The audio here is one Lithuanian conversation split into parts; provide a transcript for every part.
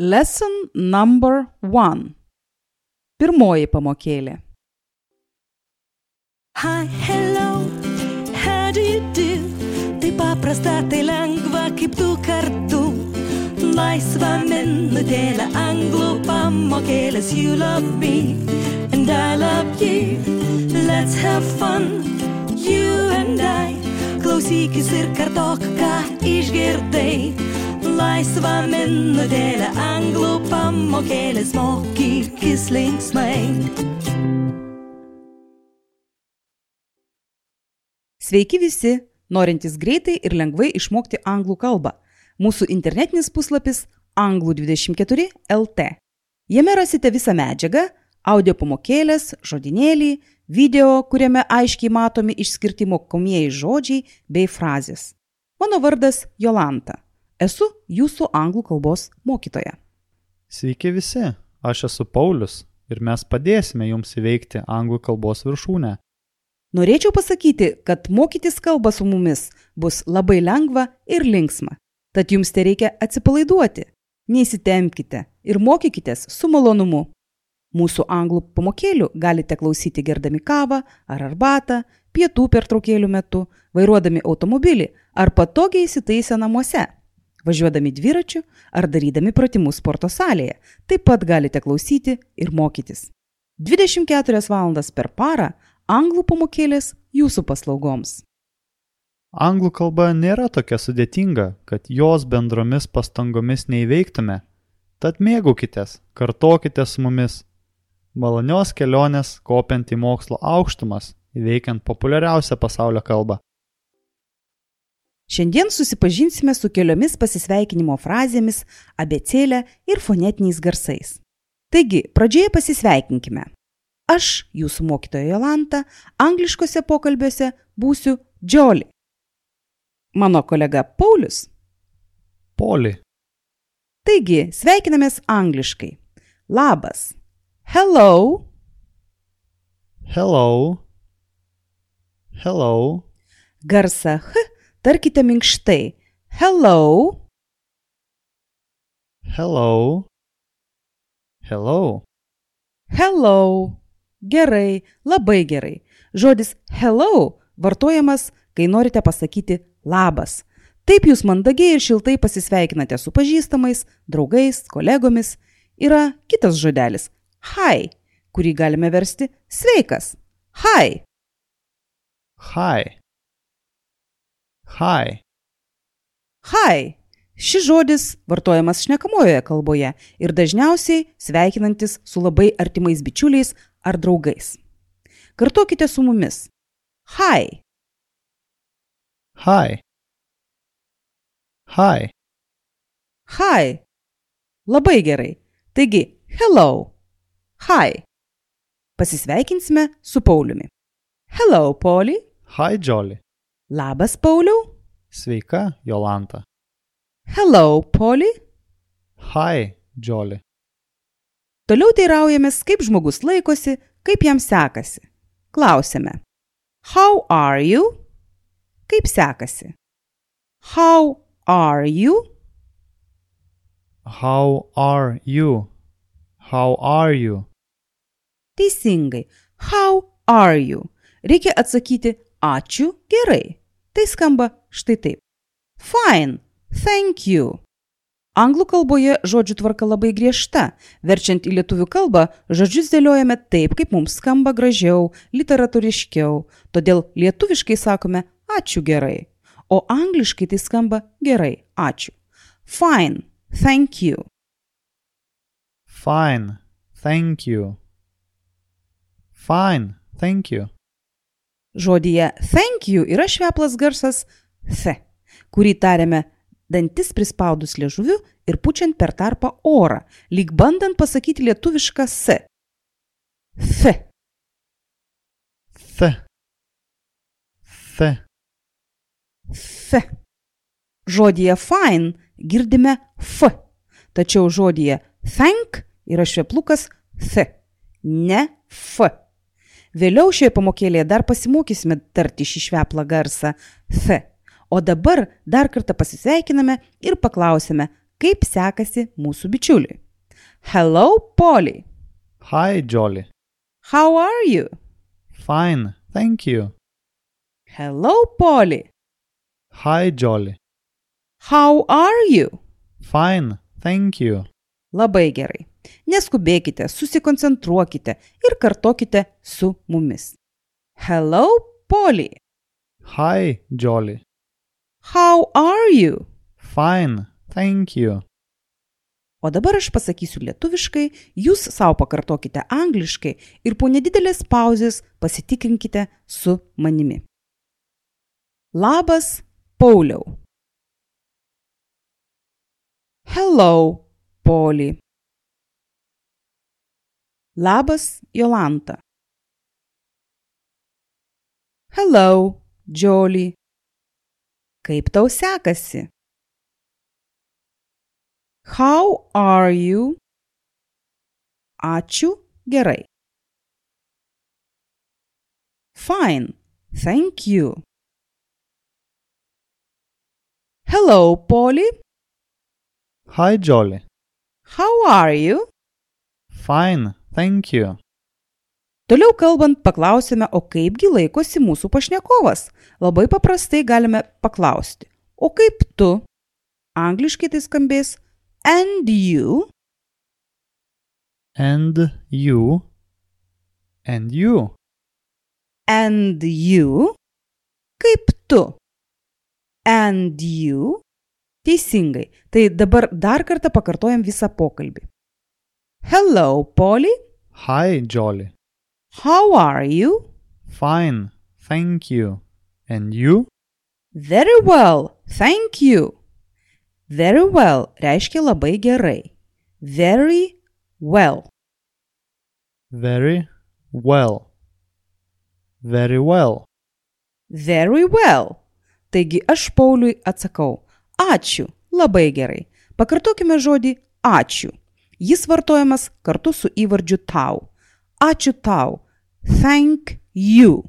Lesson number 1. Pirmoji pamokėlė. Hi, hello, how do you do? Tai paprasta, tai lengva kaip du kartu. Laisva minutėlė anglų pamokėlės. You love me and I love you. Let's have fun, you and I. Klausykis ir kartok, ką išgirdai. Laisva minutėlė anglų pamokėlės. Mokykis linksmai. Sveiki visi, norintys greitai ir lengvai išmokti anglų kalbą. Mūsų internetinis puslapis Anglų24 LT. Jame rasite visą medžiagą, audio pamokėlės, žodinėlį, video, kuriame aiškiai matomi išskirti mokomieji žodžiai bei frazės. Mano vardas Jolanta. Esu jūsų anglų kalbos mokytoja. Sveiki visi, aš esu Paulius ir mes padėsime jums įveikti anglų kalbos viršūnę. Norėčiau pasakyti, kad mokytis kalbą su mumis bus labai lengva ir linksma. Tad jums tereikia atsipalaiduoti, neįsitempkite ir mokykitės su malonumu. Mūsų anglų pamokėlių galite klausyti gerdami kavą ar arbatą, pietų pertraukėlių metu, vairuodami automobilį ar patogiai įsitaisę namuose, važiuodami dviračiu ar darydami pratimus sporto salėje. Taip pat galite klausyti ir mokytis. 24 valandas per parą anglų pamokėlės jūsų paslaugoms. Anglų kalba nėra tokia sudėtinga, kad jos bendromis pastangomis neįveiktume. Tad mėgaukitės, kartokite su mumis. Malonios kelionės kopiant į mokslo aukštumas, įveikiant populiariausią pasaulio kalbą. Šiandien susipažinsime su keliomis pasisveikinimo frazėmis, abėcėle ir fonetiniais garsais. Taigi, pradžioje pasisveikinkime. Aš, jūsų mokytoja Jolanta, angliškose pokalbiuose būsiu Jolly. Mano kolega Paulius. Polly. Taigi, sveikinamės angliškai. Labas. Hello. Hello. Hello. Garsą H tarkite minkštai. Hello. Hello. Hello. Hello. Gerai, labai gerai. Žodis hello vartojamas, kai norite pasakyti labas. Taip jūs mandagiai ir šiltai pasisveikinate su pažįstamais, draugais, kolegomis. Yra kitas žodelis hi, kurį galime versti sveikas. Hi. Hi. Hi. Hi. Šis žodis vartojamas šnekamojoje kalboje ir dažniausiai sveikinantis su labai artimais bičiuliais ar draugais. Kartokite su mumis. Hi. Hi. Hi. Hi. Labai gerai. Taigi, hello. Hi. Pasisveikinsime su Pauliumi. Hello, Polly. Hi, Jolly. Labas, Pauliau. Sveika, Jolanta. Hello, Polly. Hi, Jolly. Toliau teiraujamės, kaip žmogus laikosi, kaip jam sekasi. Klausiame. How are you? Kaip sekasi? How are you? How are you? How are you? Teisingai. How are you? Reikia atsakyti ačiū, gerai. Tai skamba štai taip. Fine, thank you. Anglų kalboje žodžių tvarka labai griežta. Verčiant į lietuvių kalbą, žodžius dėliojame taip, kaip mums skamba gražiau, literatūriškiau. Todėl lietuviškai sakome ačiū gerai. O angliškai tai skamba gerai, ačiū. Fine, thank you. Fine, thank you. Fine, thank you. Žodyje thank you yra šveplas garsas th, kurį tariame dantis prispaudus liežuviu ir pučiant per tarpą orą, lyg bandant pasakyti lietuvišką s. Th. Th. Th. Th. Žodyje fine girdime f, tačiau žodyje thank yra šveplukas th, ne f. Vėliau šioje pamokėlėje dar pasimokysime tarti šį šveplą garsą th. O dabar dar kartą pasisveikiname ir paklausime, Kaip sekasi mūsų bičiuliui? Hello, Polly. Hi, Jolly. How are you? Fine, thank you. Hello, Polly. Hi, Jolly. How are you? Fine, thank you. Labai gerai. Neskubėkite, susikoncentruokite ir kartokite su mumis. Hello, Polly. Hi, Jolly. How are you? Fine, thank you. O dabar aš pasakysiu lietuviškai, jūs savo pakartokite angliškai ir po nedidelės pauzės pasitikrinkite su manimi. Labas, Pauliau. Hello, Polly. Labas, Jolanta. Hello, Jolly. Kaip tau sekasi? How are you? Ačiū, gerai. Fine, thank you. Hello, Polly. Hi, Jolly. How are you? Fine, thank you. Toliau kalbant, paklausime, o kaipgi laikosi mūsų pašnekovas. Labai paprastai galime paklausti. O kaip tu? Angliškai tai skambės and you. And you. And you. And you. Kaip tu? And you. Teisingai. Tai dabar dar kartą pakartojam visą pokalbį. Hello, Polly. Hi, Jolly. How are you? Fine, thank you. And you? Very well, thank you. Very well reiškia labai gerai. Very well. Very well. Very well. Very well. Taigi aš Pauliui atsakau. Ačiū, labai gerai. Pakartokime žodį ačiū. Jis vartojamas kartu su įvardžiu tau. Ačiū tau. Thank you.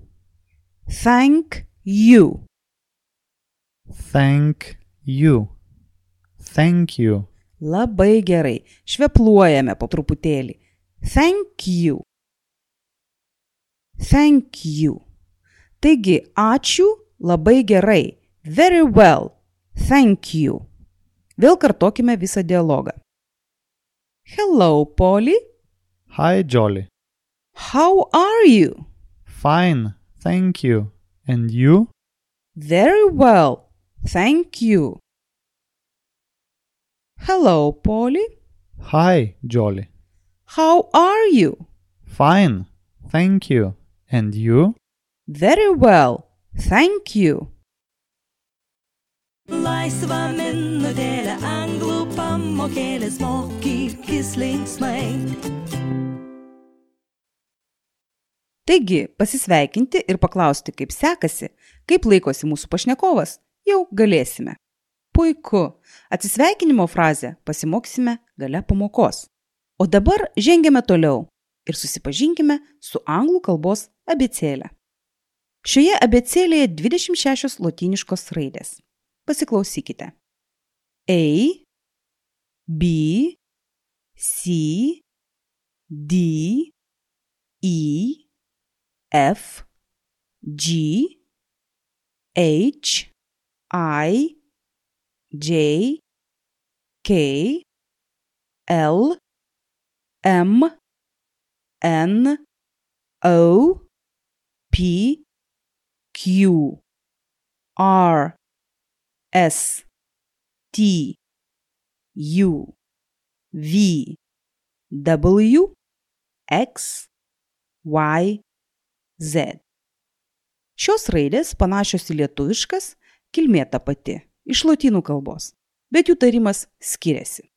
Thank you. Thank you. Thank you. Labai gerai. Švepluojame po truputėlį. Thank you. Thank you. Taigi, ačiū, labai gerai. Very well. Thank you. Vėl kartokime visą dialogą. Hello, Polly. Hi, Jolly. How are you? Fine, thank you. And you? Very well. Thank you. Hello, Polly. Hi, Jolly. How are you? Fine, thank you. And you? Very well, thank you. Laisva minutėlė anglų pamokėlės mokykis linksmai. Taigi, pasisveikinti ir paklausti, kaip sekasi, kaip laikosi mūsų pašnekovas, jau galėsime. Puiku, atsisveikinimo frazę pasimoksime gale pamokos. O dabar žengiame toliau ir susipažinkime su anglų kalbos abėcėle. Šioje abėcėlėje 26 lotyniškos raidės. Pasiklausykite. A, B, C, D, E, F, G, H, I, J, K, L, M, N, O, P, Q, R, S, T, U, V, W, X, Y, Z. Šios raidės panašios į lietuviškas, kilmė ta pati, iš lotynų kalbos, bet jų tarimas skiriasi.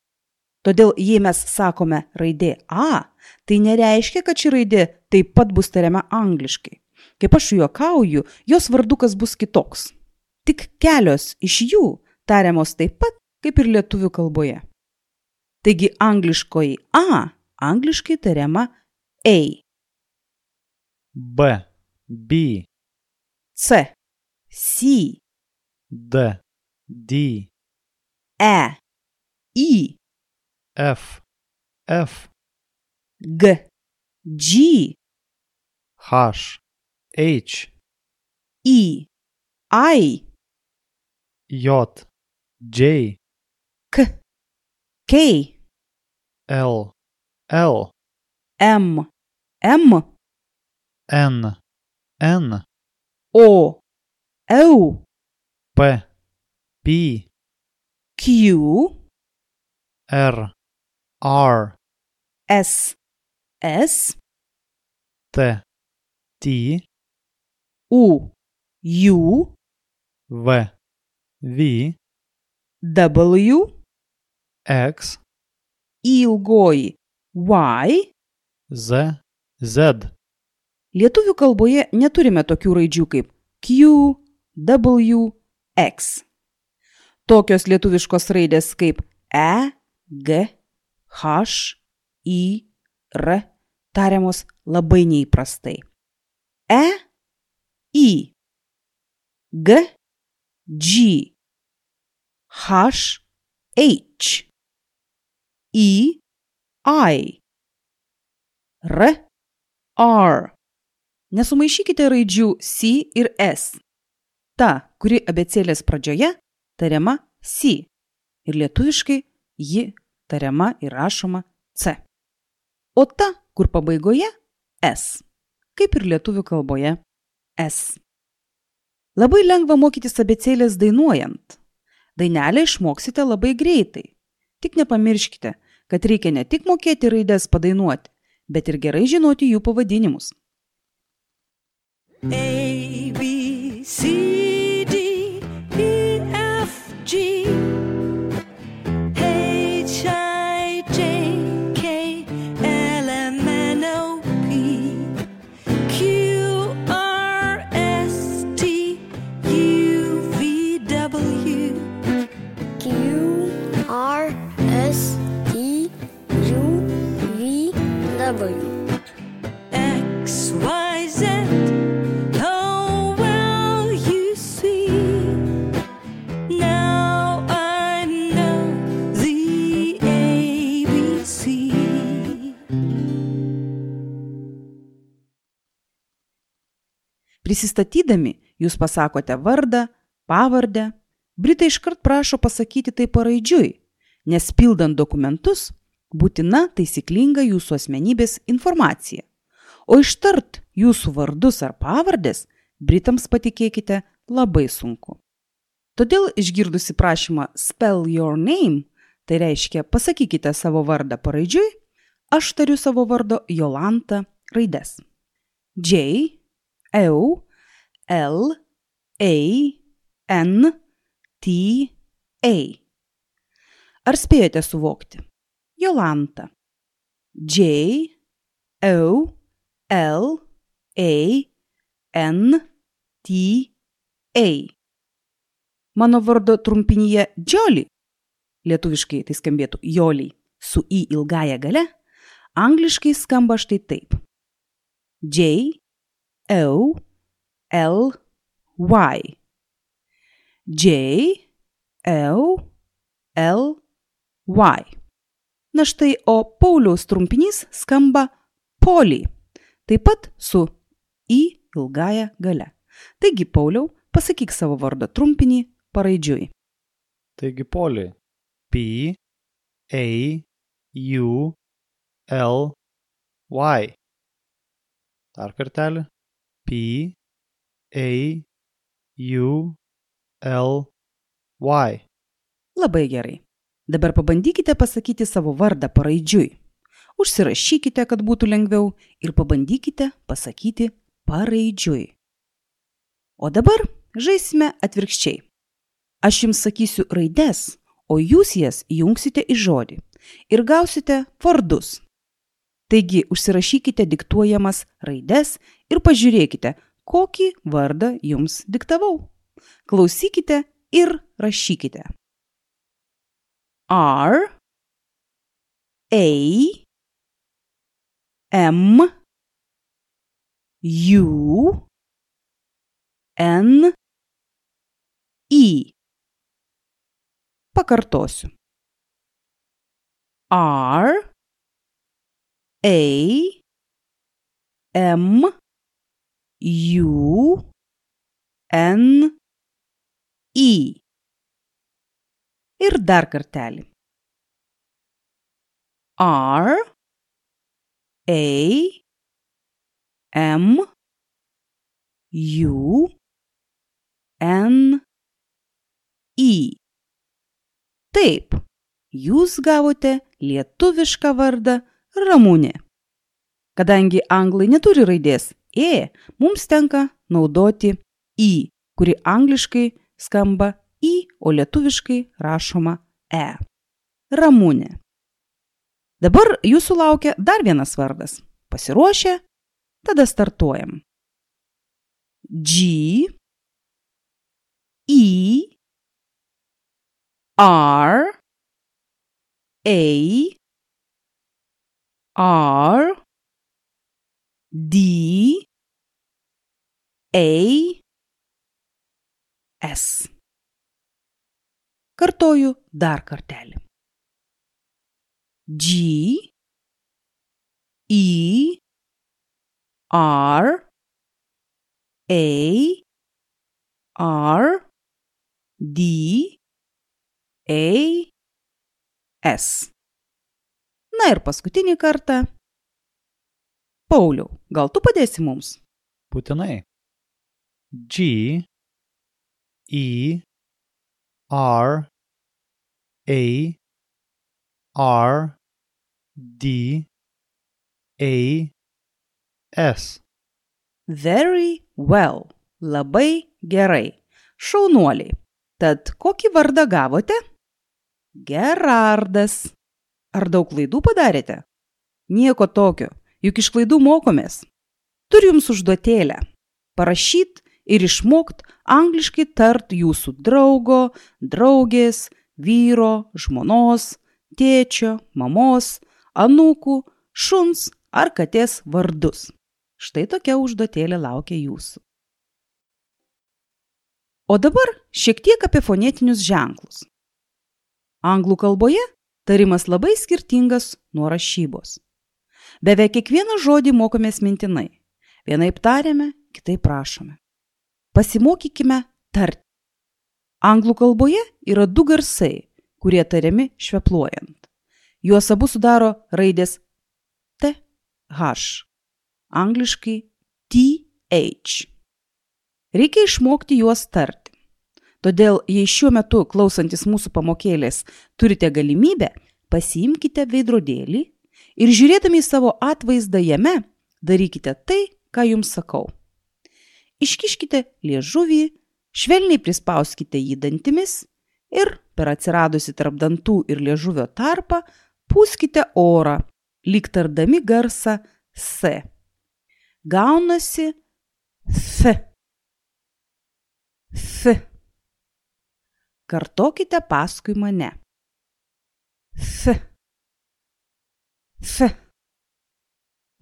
Todėl, jei mes sakome raidė A, tai nereiškia, kad ši raidė taip pat bus tariama angliškai. Kaip aš juokauju, jos vardukas bus kitoks. Tik kelios iš jų tariamos taip pat, kaip ir lietuvių kalboje. Taigi angliškoji A angliškai tariama A. B, B, C, C, D, D, E, I, F, F, G, G, H, H, I, I, J, J, K, K, L, L, M, M, N, N, O, O, P, P, Q, R, R, S, S, T, T, U, U, V, V, W, X, ilgoji Y. Z, Z. Lietuvių kalboje neturime tokių raidžių kaip Q, W, X. Tokios lietuviškos raidės kaip E, G, H, I, R tariamos labai neįprastai. E, I, G, G, H, H, I, I, R, R. Nesumaišykite raidžių C ir S. Ta, kuri abėcėlės pradžioje, tariama C ir lietuviškai ji tariama ir rašoma C. O ta, kur pabaigoje, S, kaip ir lietuvių kalboje S. Labai lengva mokytis abėcėlės dainuojant. Dainelę išmoksite labai greitai. Tik nepamirškite, kad reikia ne tik mokėti raides padainuoti, bet ir gerai žinoti jų pavadinimus. A, B, C, D, E, F, G, H, I, J, K, L, M, N, O, P, Q, R, S, T, U, V, W, Q, R, S, T, U, V, W. X, Y, Z. Oh, well, you see, now I know the ABC. Prisistatydami, jūs pasakote vardą, pavardę. Britai iškart prašo pasakyti tai paraidžiui, nes pildant dokumentus būtina taisyklinga jūsų asmenybės informacija. O ištart jūsų vardus ar pavardės Britams, patikėkite, labai sunku. Todėl išgirdusi prašymą spell your name, tai reiškia pasakykite savo vardą paraidžiui, aš tariu savo vardo Jolanta raides. J, O, L, A, N, T, A. Ar spėjote suvokti? Jolanta. J, O, L, A, N, T, A. Mano vardo trumpinyje Jolly, lietuviškai tai skambėtų Joliai, su I ilgaja gale, angliškai skamba štai taip. J, O, L, Y. J, O, L, Y. Na štai, o Pauliaus trumpinys skamba Polly, taip pat su I ilgaja gale. Taigi, Pauliau, pasakyk savo vardo trumpinį paraidžiui. Taigi Polly. P, A, U, L, Y. Dar kartelį. P, A, U, L, Y. Labai gerai. Dabar pabandykite pasakyti savo vardą paraidžiui. Užsirašykite, kad būtų lengviau, ir pabandykite pasakyti paraidžiui. O dabar žaisime atvirkščiai. Aš jums sakysiu raides, o jūs jas jungsite į žodį ir gausite vardus. Taigi užsirašykite diktuojamas raides ir pažiūrėkite, kokį vardą jums diktavau. Klausykite ir rašykite. R, A, M, U, N, I. Pakartosiu. R A M U N E. Ir dar kartelį. R A M U N E. Taip, jūs gavote lietuvišką vardą Ramunė. Kadangi anglai neturi raidės E, mums tenka naudoti I, kuri angliškai skamba I, o lietuviškai rašoma E. Ramunė. Dabar jūsų laukia dar vienas vardas. Pasiruošę? Tada startuojam. G E R A R D A S. Kartoju dar kartelį. G E R A R D A S. Na ir paskutinį kartą. Pauliau, gal tu padėsi mums? Būtinai. G E R A R D A S. Very well. Labai gerai. Šaunuoliai. Tad kokį vardą gavote? Gerardas. Ar daug klaidų padarėte? Nieko tokio, juk iš klaidų mokomės. Turiu jums užduotėlę. Parašyt ir išmokt angliškai tart jūsų draugo, draugės, vyro, žmonos, tėčio, mamos, anūkų, šuns ar katės vardus. Štai tokia užduotėlė laukia jūsų. O dabar šiek tiek apie fonetinius ženklus. Anglų kalboje tarimas labai skirtingas nuo rašybos. Beveik kiekvieną žodį mokomės mintinai. Vienaip tariame, kitaip rašome. Pasimokykime tarti. Anglų kalboje yra du garsai, kurie tariami švepluojant. Juos abu sudaro raidės T, H, angliškai TH. Reikia išmokti juos tarti. Todėl, jei šiuo metu klausantis mūsų pamokėlės turite galimybę, pasiimkite veidrodėlį ir žiūrėdami į savo atvaizdą jame, darykite tai, ką jums sakau. Iškiškite liežuvį, švelniai prispauskite jį dantimis ir per atsiradusį tarp dantų ir liežuvio tarpą pūskite orą, lyg tardami garsą S. Gaunasi F. F. Kartokite paskui mane. F. F.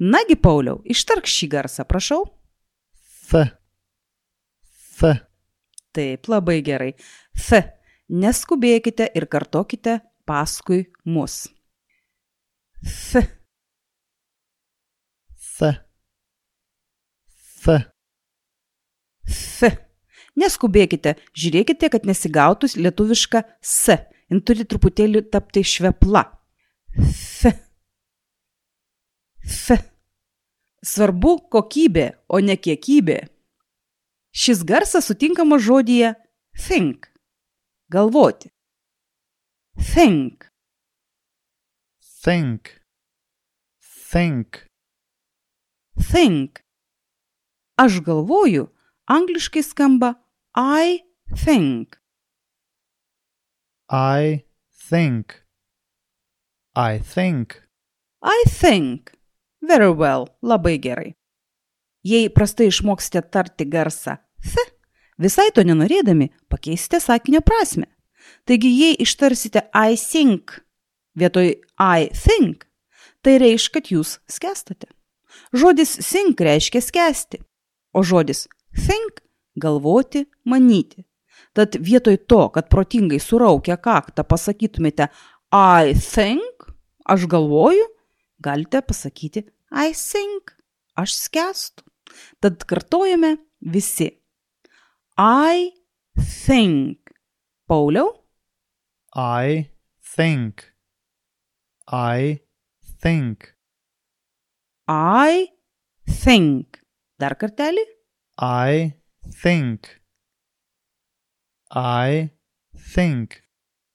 Nagi, Pauliau, ištark šį garsą, prašau. F. F. Taip, labai gerai. F. Neskubėkite ir kartokite paskui mus. F. F. F. F. Neskubėkite, žiūrėkite, kad nesigautų lietuviška S. Jin turi truputėlį tapti švepla. F. F. Svarbu kokybė, o ne kiekybė. Šis garsas sutinkamas žodyje think. Galvoti. Think. Think. Think. Think. Aš galvoju, angliškai skamba I think. I think. I think. I think. Very well. Labai gerai. Jei prastai išmoksite tarti garsą F, visai to nenorėdami pakeisite sakinio prasmę. Taigi, jei ištarsite I think vietoj I think, tai reiškia, kad jūs skęstate. Žodis think reiškia skęsti, o žodis think galvoti, manyti. Tad vietoj to, kad protingai suraukę kaktą pasakytumėte I think aš galvoju, galite pasakyti I think, aš skęstu. Tad kartojame visi. I think. Pauliau? I think. I think. I think. Dar kartelį? I think. I think.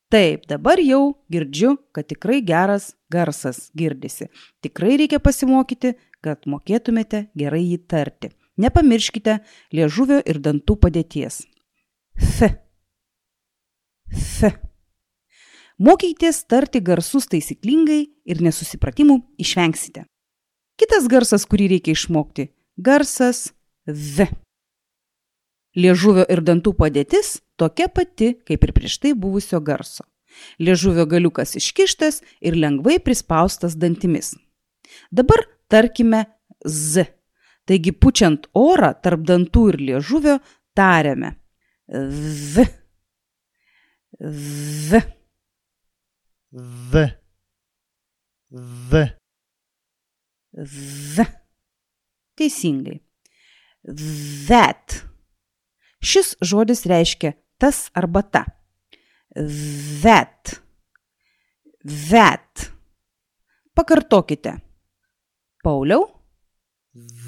Taip, dabar jau girdžiu, kad tikrai geras garsas girdisi. Tikrai reikia pasimokyti, kad mokėtumėte gerai jį tarti. Nepamirškite liežuvio ir dantų padėties. F. F. Mokykitės tarti garsus taisyklingai ir nesusipratimų išvengsite. Kitas garsas, kurį reikia išmokti, garsas V. Liežuvio ir dantų padėtis tokia pati, kaip ir prieš tai buvusio garso. Liežuvio galiukas iškištas ir lengvai prispaustas dantimis. Dabar tarkime Z. Taigi pučiant orą tarp dantų ir liežuvio tariame V. V. V. V. V. Teisingai. That. Šis žodis reiškia tas arba ta. That. That. Pakartokite. Pauliau?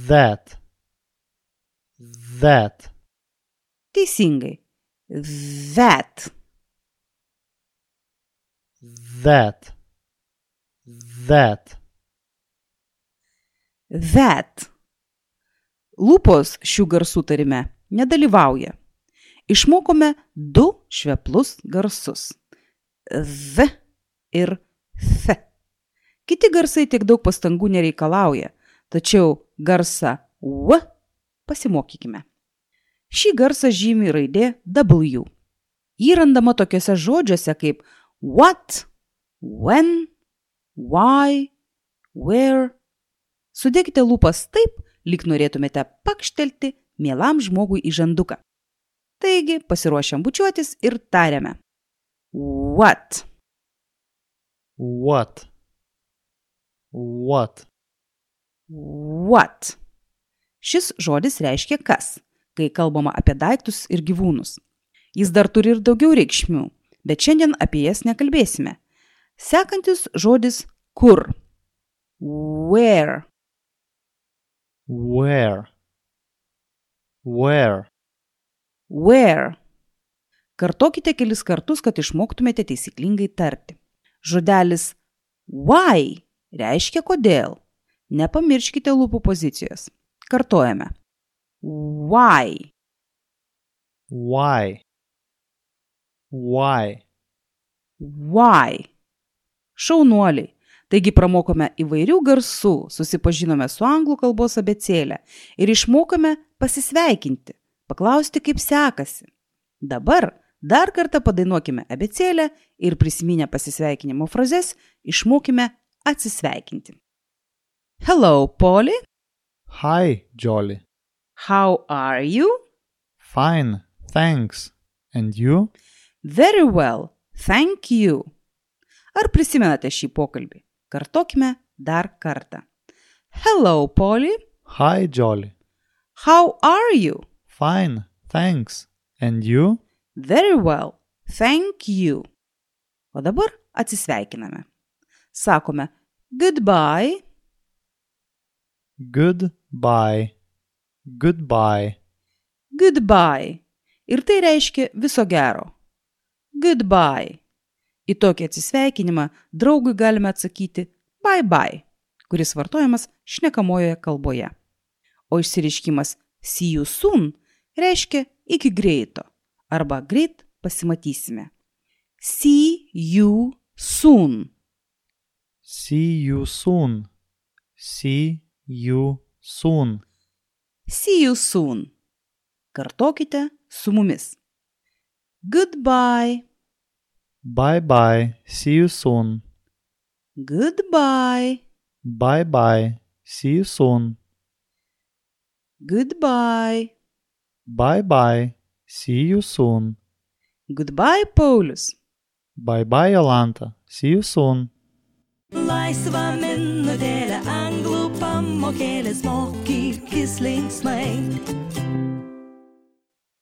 That. That. Teisingai. That. That. That. That. Lūpos šių garsų tarime nedalyvauja. Išmokome 2 šveplus garsus. V ir F. Kiti garsai tiek daug pastangų nereikalauja, tačiau garsą W pasimokykime. Šį garsą žymi raidė W. Jį randama tokiuose žodžiuose kaip what, when, why, where. Sudėkite lūpas taip, lyg norėtumėte pakštelti mielam žmogui į žanduką. Taigi, pasiruošiam bučiuotis ir tariame. What? What? What? What? Šis žodis reiškia kas, kai kalbama apie daiktus ir gyvūnus. Jis dar turi ir daugiau reikšmių, bet šiandien apie jas nekalbėsime. Sekantis žodis kur. Where. Where? Where? Where. Kartokite kelis kartus, kad išmoktumėte taisyklingai tarti. Žodelis why reiškia kodėl. Nepamirškite lūpų pozicijos. Kartojame. Why. Why? Why? Why. Šaunuoliai. Taigi pramokome įvairių garsų, susipažinome su anglų kalbos abėcėle ir išmokome pasisveikinti, paklausti, kaip sekasi. Dabar dar kartą padainuokime abėcėlę ir prisiminę pasisveikinimo frazes išmokime atsisveikinti. Hello, Polly. Hi, Jolly. How are you? Fine, thanks. And you? Very well, thank you. Ar prisimenate šį pokalbį? Kartokime dar kartą. Hello, Polly. Hi, Jolly. How are you? Fine, thanks. And you? Very well, thank you. O dabar atsisveikiname. Sakome goodbye. Goodbye. Goodbye. Goodbye. Ir tai reiškia viso gero. Goodbye. Į tokį atsisveikinimą draugui galime atsakyti bye bye, kuris vartojamas šnekamojoje kalboje. O išsireiškimas see you soon reiškia iki greito arba greit pasimatysime. See you soon. See you soon. See you soon. See you soon. Kartokite su mumis. Goodbye. Bye bye. See you soon. Goodbye. Bye bye. See you soon. Goodbye. Bye bye. See you soon. Goodbye, Paulius. Bye bye, Jolanta. See you soon. Laisva minutėlė anglų pamokėlės mokykis linksmai.